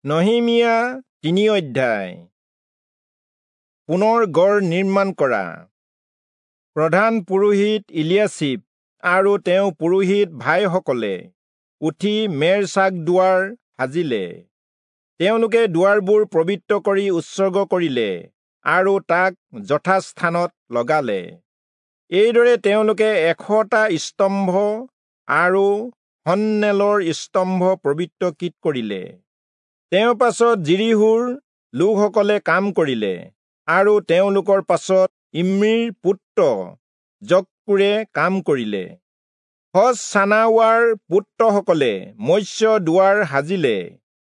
নহিমিয়া 3 অধ্যায়। পুনৰ গড় নিৰ্মাণ কৰা। প্ৰধান পুৰোহিত ইলিয়াছিব আৰু তেওঁ পুৰোহিত ভাইসকলে উঠি মেৰ চাক দুৱাৰ সাজিলে। তেওঁলোকে দুৱাৰবোৰ পবিত্ৰ কৰি উৎসৰ্গ কৰিলে আৰু তাক যথাস্থানত লগালে। এইদৰে তেওঁলোকে 100টা স্তম্ভ আৰু সন্নেলৰ স্তম্ভ পবিত্ৰকৃত কৰিলে। তেওঁৰ পাছত যিৰীহোৰ লোকসকলে কাম কৰিলে আৰু তেওঁলোকৰ পাছত ইম্ৰীৰ পুত্ৰ জক্কুৰে কাম কৰিলে। হচচানাৱাৰ পুত্ৰসকলে মৎস্য দুৱাৰ সাজিলে।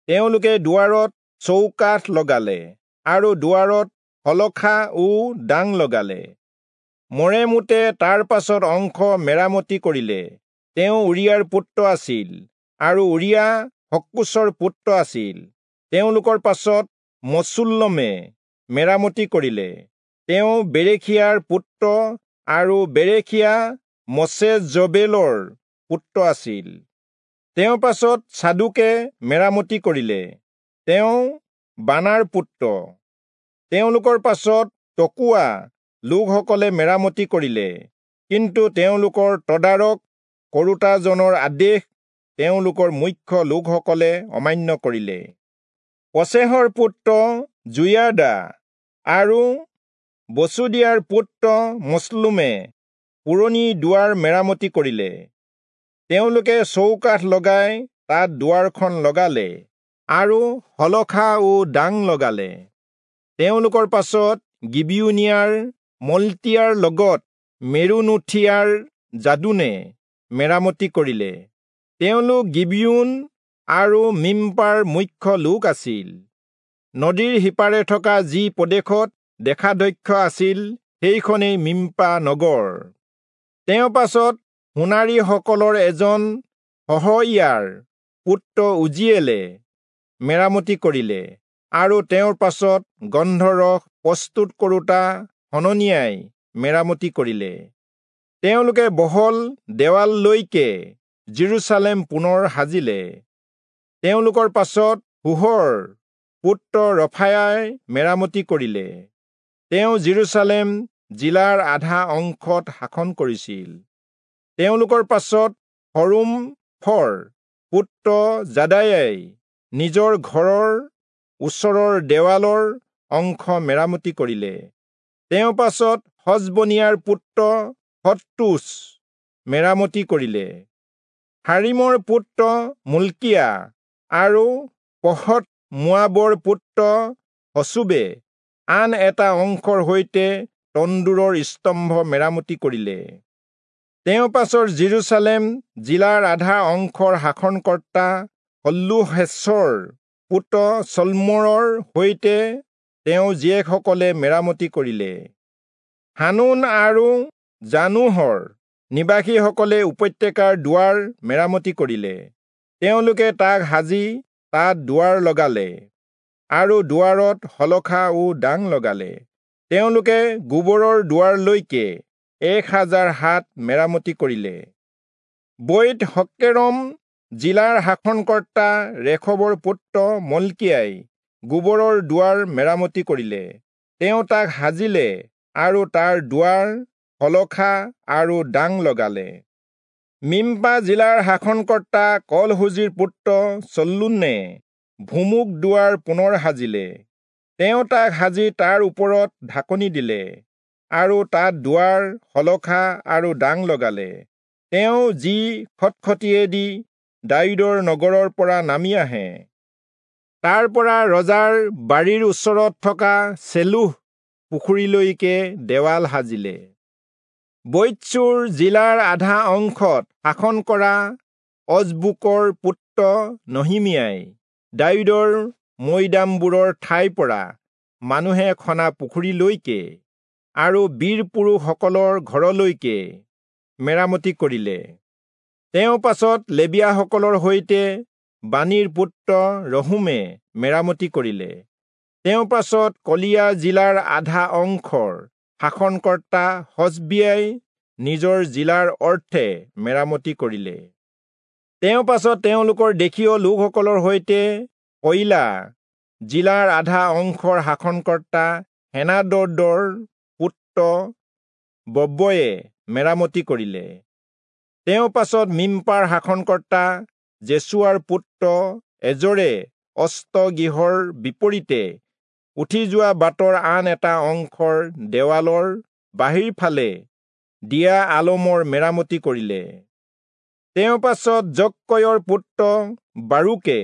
তেওঁলোকে দুৱাৰত চৌকাঠ লগালে আৰু দুৱাৰত শলখা ও ডাং লগালে। মৰেমোতে তাৰ পাছত অংশ মেৰামতি কৰিলে। তেওঁ উৰিয়াৰ পুত্ৰ আছিল আৰু উৰিয়া হক্কোচৰ পুত্ৰ আছিল। তেওঁলোকৰ পাছত মচুল্লমে মেৰামতি কৰিলে। তেওঁ বেৰেখিয়াৰ পুত্ৰ আৰু বেৰেখিয়া মচেজবেলৰ পুত্ৰ আছিল। তেওঁৰ পাছত চাদোকে মেৰামতি কৰিলে। তেওঁ বানাৰ পুত্ৰ। তেওঁলোকৰ পাছত তকোৱা লোকসকলে মেৰামতি কৰিলে, কিন্তু তেওঁলোকৰ তদাৰক কৰোতাজনৰ আদেশ তেওঁলোকৰ মুখ্য লোকসকলে অমান্য কৰিলে। পচেহৰ পুত্ৰ যোয়াদা আৰু বচুদিয়াৰ পুত্ৰ মচলুমে পুৰণি দুৱাৰ মেৰামতি কৰিলে। তেওঁলোকে চৌকাঠ লগাই তাত দুৱাৰখন লগালে আৰু শলখা ও ডাং লগালে। তেওঁলোকৰ পাছত গিবিয়োনীয়াৰ মলতিয়াৰ লগত মেৰোনোথীয়াৰ যাদোনে মেৰামতি কৰিলে। তেওঁলোক গিবিয়োন আৰু মিম্পাৰ মুখ্য লোক আছিল। নদীৰ সিপাৰে থকা যি প্ৰদেশত দেশাধ্যক্ষ আছিল সেইখনেই মিম্পা নগৰ। তেওঁৰ পাছত সোণাৰীসকলৰ এজন হহইয়াৰ পুত্ৰ উজিয়েলে মেৰামতি কৰিলে আৰু তেওঁৰ পাছত গন্ধৰস প্ৰস্তুত কৰোতা হননিয়াই মেৰামতি কৰিলে। তেওঁলোকে বহল দেৱাললৈকে যিৰূচালেম পুনৰ সাজিলে। তেওঁলোকৰ পাছত হুহৰ পুত্ৰ ৰফায়াই মেৰামতি কৰিলে। তেওঁ যিৰূচালেম জিলাৰ আধা অংশত শাসন কৰিছিল। তেওঁলোকৰ পাছত হৰুমফৰ পুত্ৰ যাদায়াই নিজৰ ঘৰৰ ওচৰৰ দেৱালৰ অংশ মেৰামতি কৰিলে। তেওঁৰ পাছত হচবনিয়াৰ পুত্ৰ হত্তুচ মেৰামতি কৰিলে। হাৰিমৰ পুত্ৰ মল্কিয়া আৰু পহৎ মোৱাবৰ পুত্ৰ হচুবে আন এটা অংশৰ সৈতে তন্দুৰৰ স্তম্ভ মেৰামতি কৰিলে। তেওঁৰ পাছত যিৰূচালেম জিলাৰ আধা অংশৰ শাসনকৰ্তা হল্লোহেচৰ পুত্ৰ চল্মোৰৰ সৈতে তেওঁ জীয়েকসকলে মেৰামতি কৰিলে। হানুন আৰু জানোহৰ নিবাসীসকলে উপত্যকাৰ দুৱাৰ মেৰামতি কৰিলে। তেওঁলোকে তাক সাজি তাত দুৱাৰ লগালে আৰু দুৱাৰত শলখা ও ডাং লগালে। তেওঁলোকে গোবৰৰ দুৱাৰলৈকে 1000 হাত মেৰামতি কৰিলে। বৈৎ হক্কেৰম জিলাৰ শাসনকৰ্তা ৰেখবৰ পুত্ৰ মল্কিয়াই গোবৰৰ দুৱাৰ মেৰামতি কৰিলে। তেওঁ তাক সাজিলে আৰু তাৰ দুৱাৰ, শলখা আৰু ডাং লগালে। মিম্পা জিলাৰ শাসনকৰ্তা কলহুজিৰ পুত্ৰ চল্লুনে ভুমুক দুৱাৰ পুনৰ সাজিলে। তেওঁ তাক সাজি তাৰ ওপৰত ঢাকনি দিলে আৰু তাত দুৱাৰ, শলখা আৰু ডাং লগালে। তেওঁ যি খটখটিয়েদি দায়ূদৰ নগৰৰ পৰা নামি আহে, তাৰ পৰা ৰজাৰ বাৰীৰ ওচৰত থকা চেলোহ পুখুৰীলৈকে দেৱাল সাজিলে। বৈৎচূৰ জিলাৰ আধা অংশত শাসন কৰা অজবুকৰ পুত্ৰ নহিমিয়াই দায়ূদৰ মৈদামবোৰৰ ঠাইৰ পৰা মানুহে খনা পুখুৰীলৈকে আৰু বীৰ পুৰুষসকলৰ ঘৰলৈকে মেৰামতি কৰিলে। তেওঁৰ পাছত লেবীয়াসকলৰ সৈতে বানীৰ পুত্ৰ ৰহুমে মেৰামতি কৰিলে। তেওঁৰ পাছত কলিয়া জিলাৰ আধা অংশৰ শাসনকৰ্তা হচবিয়াই নিজৰ জিলাৰ অৰ্থে মেৰামতি কৰিলে। তেওঁৰ পাছত তেওঁলোকৰ দেশীয় লোকসকলৰ সৈতে কয়িলা জিলাৰ আধা অংশৰ শাসনকৰ্তা হেনাদদৰ পুত্ৰ বব্বয়ে মেৰামতি কৰিলে। তেওঁ পাছত মিম্পাৰ শাসনকৰ্তা জেচুৱাৰ পুত্ৰ এজৰে অস্তগৃহৰ বিপৰীতে উঠি যোৱা বাটৰ আন এটা অংশৰ দেৱালৰ বাহিৰ ফালে দিয়া আলমৰ মেৰামতি কৰিলে। তেওঁ পাছত জক্কয়ৰ পুত্ৰ বাৰুকে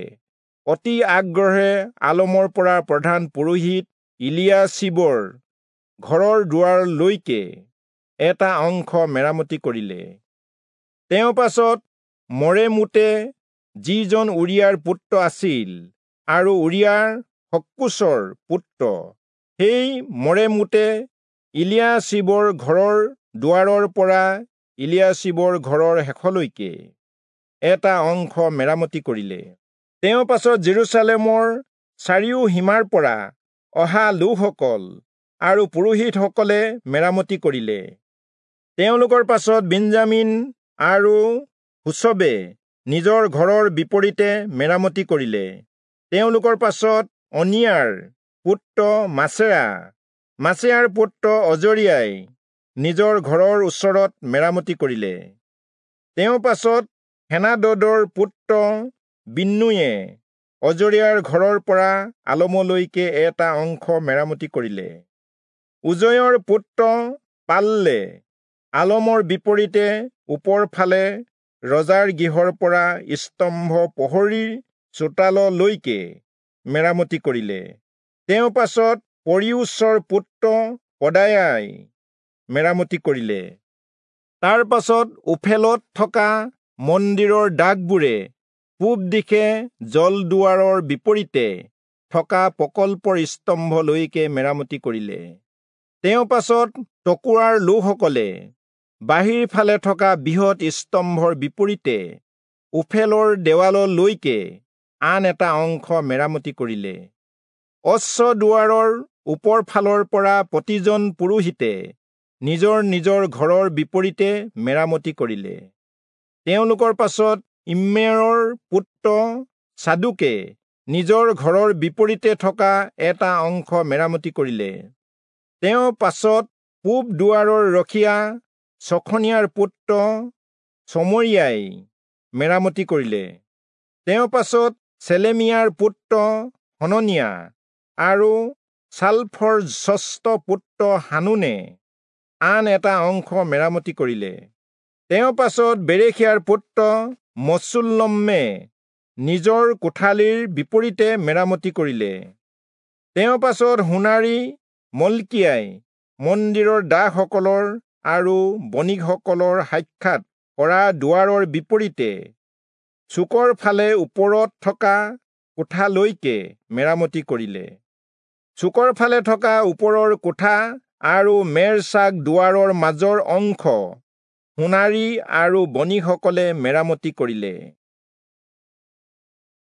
অতি আগ্ৰহে আলমৰ পৰা প্ৰধান পুৰোহিত ইলিয়াছিবৰ ঘৰৰ দুৱাৰলৈকে এটা অংশ মেৰামতি কৰিলে। তেওঁ পাছত মৰেমোতে, যিজন উৰিয়াৰ পুত্ৰ আছিল আৰু উৰিয়াৰ হক্কোচৰ পুত্ৰ, সেই মৰেমোতে ইলিয়াছিবৰ ঘৰৰ দুৱাৰৰ পৰা ইলিয়াছিবৰ ঘৰৰ শেষলৈকে এটা অংশ মেৰামতি কৰিলে। তেওঁ পাছত জেৰুচালেমৰ চাৰিও সীমাৰ পৰা অহা লোকসকল আৰু পুৰোহিতসকলে মেৰামতি কৰিলে। তেওঁলোকৰ পাছত বেঞ্জামিন আৰু হুচবে নিজৰ ঘৰৰ বিপৰীতে মেৰামতি কৰিলে। তেওঁলোকৰ পাছত অনিয়াৰ পুত্ৰ মাছেয়া, মাছেয়াৰ পুত্ৰ অজৰিয়াই নিজৰ ঘৰৰ ওচৰত মেৰামতি কৰিলে। তেওঁ পাছত হেনাদদৰ পুত্ৰ বিন্নুয়ে অজৰিয়াৰ ঘৰৰ পৰা আলমলৈকে এটা অংশ মেৰামতি কৰিলে। উজয়ৰ পুত্ৰ পাল্লে আলমৰ বিপৰীতে ওপৰ ফালে ৰজাৰ গৃহৰ পৰা স্তম্ভ প্ৰহৰীৰ চোতাললৈকে মেৰামতি কৰিলে। তেওঁ পাছত পৰিয়োচৰ পুত্ৰ পদায়াই মেৰামতি কৰিলে। তাৰ পাছত ওফেলত থকা মন্দিৰৰ দাগবোৰে পূব দিশে জলদুৱাৰৰ বিপৰীতে থকা প্ৰকল্পৰ স্তম্ভলৈকে মেৰামতি কৰিলে। তেওঁ পাছত তকোৱাৰ লোকসকলে বাহিৰ ফালে থকা বৃহৎ স্তম্ভৰ বিপৰীতে ওফেলৰ দেৱাললৈকে আন এটা অংশ মেৰামতি কৰিলে। অশ্বদুৱাৰৰ ওপৰ ফালৰ পৰা প্ৰতিজন পুৰোহিতে নিজৰ নিজৰ ঘৰৰ বিপৰীতে মেৰামতি কৰিলে। তেওঁলোকৰ পাছত ইম্মেৰৰ পুত্ৰ চাদুকে নিজৰ ঘৰৰ বিপৰীতে থকা এটা অংশ মেৰামতি কৰিলে। তেওঁ পাছত পূব দুৱাৰৰ ৰখীয়া চখনিয়াৰ পুত্ৰ চমৰিয়াই মেৰামতি কৰিলে। তেওঁ পাছত চেলেমিয়াৰ পুত্ৰ হননিয়া আৰু চালফৰ ষষ্ঠ পুত্ৰ হানুনে আন এটা অংশ মেৰামতি কৰিলে। তেওঁ পাছত বেৰেখিয়াৰ পুত্ৰ মচুল্লমে নিজৰ কোঠালিৰ বিপৰীতে মেৰামতি কৰিলে। তেওঁ পাছত সোণাৰী মলকিয়াই মন্দিৰৰ দাসসকলৰ আৰু বণিকসকলৰ সাক্ষাৎ কৰা দুৱাৰৰ বিপৰীতে চুকৰ ফালে ওপৰত থকা কোঠালৈকে মেৰামতি কৰিলে। চুকৰ ফালে থকা ওপৰৰ কোঠা আৰু মেৰচাক দুৱাৰৰ মাজৰ অংশ সোণাৰী আৰু বণিকসকলে মেৰামতি কৰিলে।